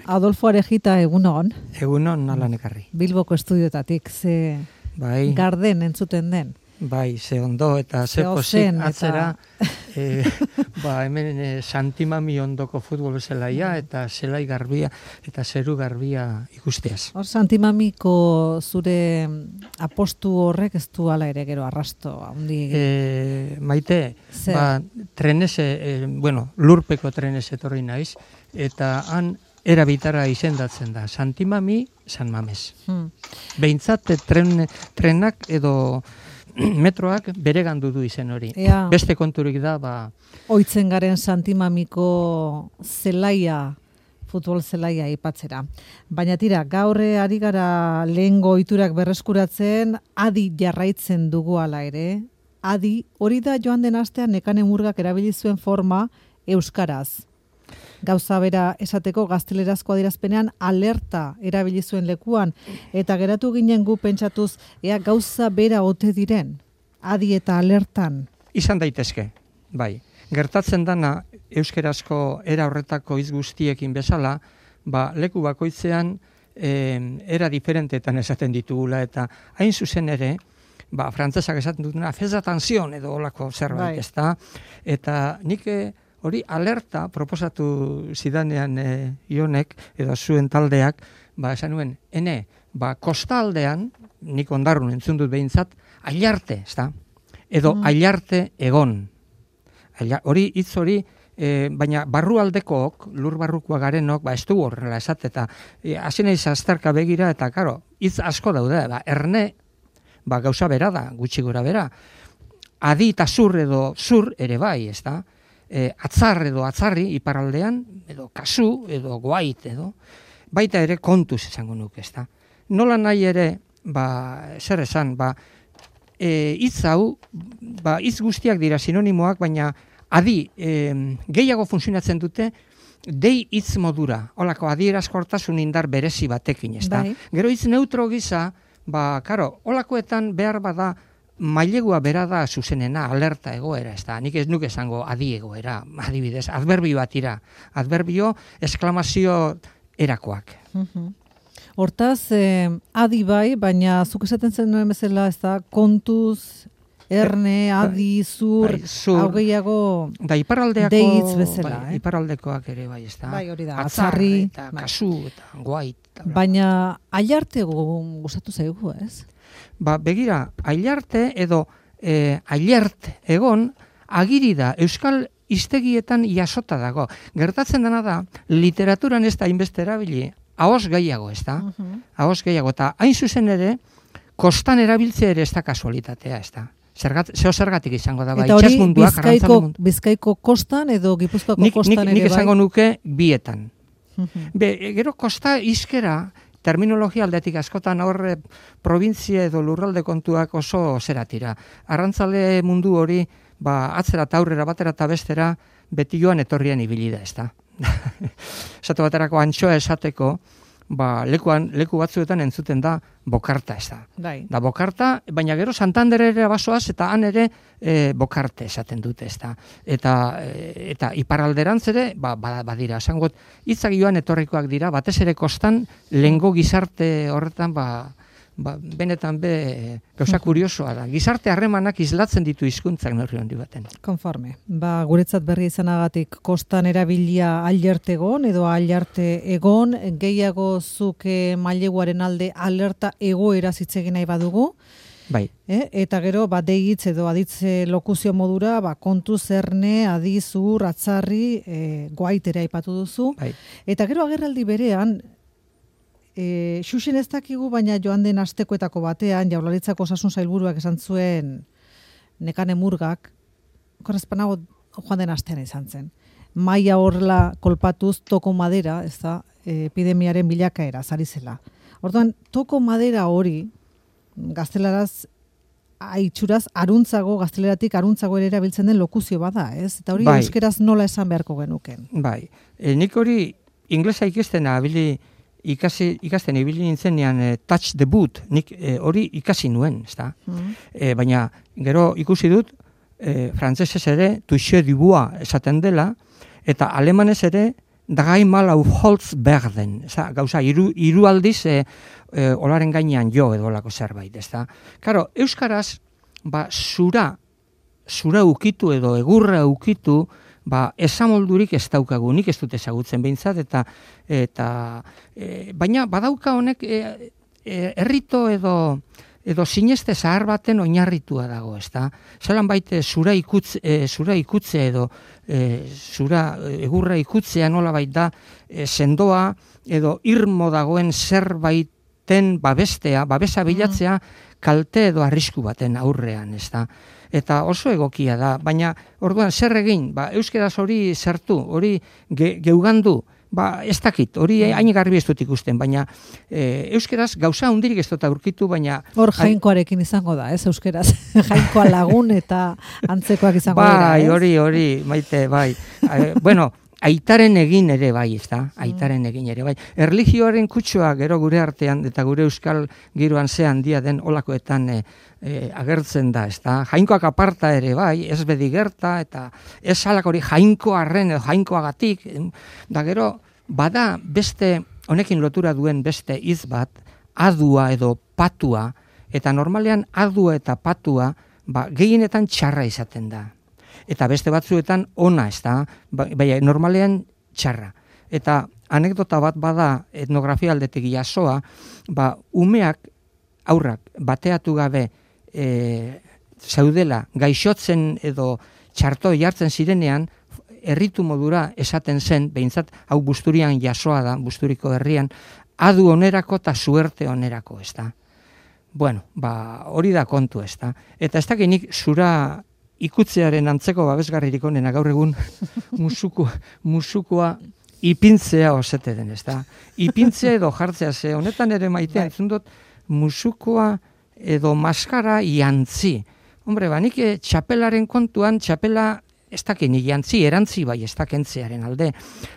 Adolfo Arejita, egunon. Egunon nalan ekarri. Bilboko estudiotatik, ze Bai, garden entzuten den. bai, ze ondo eta ze pozik atzera. Hemen Santimami ondoko futbol zelaia eta zelai garbia eta zeru garbia ikusteaz. Hor Santimamiko zure apostu horrek ez du ala ere gero arrasto handi. Maite, lurpeko trenez etorri naiz, eta han erabitara izendatzen da. Santimami, San Mames. Behintzat trenak edo metroak beregandu du izen hori. Beste konturik da, Oitzen garen Santimamiko zelaia, futbol zelaia aipatzera. Baina tira, gaur ari gara lehengo ohiturak berreskuratzen, adi jarraitzen dugu ala ere. Adi, hori da joan den astean Nekane Murgak erabili zuen forma euskaraz. Gauza bera esateko gaztelerazko adierazpenean alerta erabili zuen lekuan, eta geratu ginen gu pentsatuz ea gauza bera ote diren, adi eta alertan. Izan daitezke, bai. Gertatzen dana euskerazko era horretako hitz guztiekin bezala, leku bakoitzean era diferentetan esaten ditugula, eta hain zuzen ere, frantzesak esaten dutuna, fez atención edo olako zerbait, ezta? Eta nik hori alerta proposatu zidanean Ionek edo zuen taldeak, esan nuen, kostaldean, nik Ondarrun entzun dut behintzat, ailarte, ezta? Edo ailarte egon. Hori, hitz hori, baina barrualdekook, lur barrukoa garenok, ez du horrela esate, eta hasi naiz azterka begira, eta karo, hitz asko daude, erne, gauza bera da, gutxi gora bera. Adi eta zur edo zur ere bai, ezta? Atzar edo atzarri iparraldean, edo kasu, edo guait, edo baita ere kontuz esango nuke, ezta. Nola nahi ere, zer esan, hitz hau, hitz guztiak dira sinonimoak, baina adi gehiago funtzionatzen dute dei hitz modura, holako adierazkortasun indar berezi batekin, ezta. Gero hitz neutro gisa, holakoetan behar bada mailegua bera da zuzenena, alerta egoera, ez da. Nik ez nuke esango adi egoera, adibidez, adverbio bat ira. Adverbio, esklamazio erakoak. Hortaz, adi bai, baina zuk esaten zen nuen bezala, ez da, kontuz, erne, adi, zur, hau gehiago deitz bezala. Iparraldekoak ere bai, ez da. Bai, hori da, atzarri. Eta kasu, eta guait. Baina, ailarte gustatu zaigu, ez? Begira, ailarte edo ailert egon agiri da euskal hiztegietan jasota dago. Gertatzen dena da, literaturan ez da hainbeste erabili, ahoz gehiago, ez da? Ahoz gehiago, eta hain zuzen ere, kostan erabiltzea ere ez da kasualitatea, ez da? Zergatik izango da, eta hori Bizkaiko kostan edo Gipuzkoako kostan ere bai? Nik esango nuke bietan. Gero kosta hizkera, terminologia aldetik askotan horre provintzia edo lurralde kontuak oso zeratira. Arrantzale mundu hori, atzera eta aurrera batera eta bestera, beti joan etorrian ibili da, ez da. Esate baterako antxoa esateko, leku batzuetan entzuten da bokarta, ez da. Da bokarta, baina gero Santander ere basoaz, eta han ere bokarte esaten dute, ez da. Eta iparralderantz ere, badira, esangot, hitzak joan etorrikoak dira, batez ere kostan, lehengo gizarte horretan, benetan gauza kuriosoa da. Gizarte harremanak islatzen ditu hizkuntzak neurri handi baten. Konforme. Guretzat berri izanagatik kostan erabilia ailarte egon edo ailarte egon, gehiago zuke maileguaren alde alerta egoera zitzegin nahi badugu. Bai. Eta gero, deitz edo aditze lokuzio modura, kontu zerne, adizur, atzarri, guaitere aipatu duzu. Bai. Eta gero agerraldi berean, xuxen ez dakigu, baina joan den astekoetako batean, Jaurlaritzako Osasun Sailburuak esan zuen Nekane Murgak, korrespanago joan den astean izan zen. Maia horrela kolpatuz toko madera, ez da, epidemiaren bilakaera, zari zela. Orduan, toko madera hori, gaztelaraz, aitzuraz, gazteleratik aruntzago ere erabiltzen den lokuzio bada, ez? Eta hori euskeraz nola esan beharko genuken? Bai, nik hori inglesa ikasten ibili nintzenean touch the boot, nik hori ikasi nuen, ezta? Baina gero ikusi dut, frantsesez ere toucher du bois esaten dela, eta alemanez ere dreimal auf Holz werden. Gauza, hiru aldiz olaren gainean jo edo olako zerbait, ezta? Karo, euskaraz, zura ukitu edo egurra ukitu, esamoldurik ez daukagu, nik ez dut ezagutzen behintzat, baina badauka honek errito edo sineste zahar baten oinarritua dago, ezta? Zelan baite zura ikutze edo zura egurra ikutzea nola baita sendoa edo irmo dagoen zerbaiten babesa bilatzea kalte edo arrisku baten aurrean, ezta? Eta oso egokia da, baina orduan zer egin, euskeraz hori zertu, hori geugandu, ez dakit, hori hain garbi ez dut ikusten, baina euskeraz gauza hundirik ez dut aurkitu, baina... Hor jainkoarekin izango da, ez euskeraz? Jainkoa lagun eta antzekoak izango dira, ez? Hori, maite, bai. Bueno, aitaren egin ere bai, ez da? Aitaren egin ere bai. Erlijioaren kutsua gero gure artean eta gure euskal giroan ze handia den olakoetan agertzen da, ez da? Jainkoak aparta ere bai, ez bedi gerta, eta ez alak hori jainkoarren edo jainkoagatik, da gero, bada beste, honekin lotura duen beste hitz bat, adua edo patua, eta normalean adua eta patua, gehienetan txarra izaten da. Eta beste batzuetan ona, ez da, baina normalean txarra. Eta anekdota bat bada etnografia aldetik jasoa, umeak, aurrak, bateatu gabe zaudela, gaixotzen edo txarto jartzen zirenean, erritu modura esaten zen, behintzat, hau Busturian jasoa da, Busturiko herrian, adu onerako eta suerte onerako, ez da. Bueno, hori da kontu, ez da. Eta ez dakinik zura ikutzearen antzeko babesgarririk onena gaur egun musukoa ipintzea osete den, ez da. Ipintzea edo jartzea ze, honetan ere maitea, entzun dut, musukoa edo maskara jantzi. Hombre, nik txapelaren kontuan, txapela ez dakin jantzi, erantzi bai ez dakentzearen alde.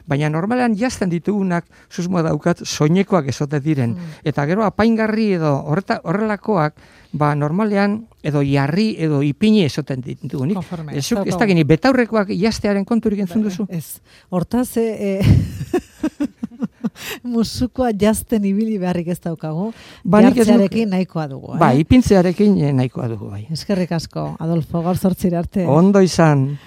Baina normalean jazten ditugunak, susmoa daukat, soinekoak ezote diren. Eta gero apaingarri edo horrelakoak, normalean edo jarri edo ipini ezoten ditugu. Ez dakin, betaurrekoak jaztearen konturik entzun duzu? Ez. Hortaz, musukoa jazten ibili beharrik ez daukagu, jartzearekin nahikoa dugu. Ipintzearekin nahikoa dugu. Eskerrik asko, Adolfo, gaur 8 arte. Ondo izan.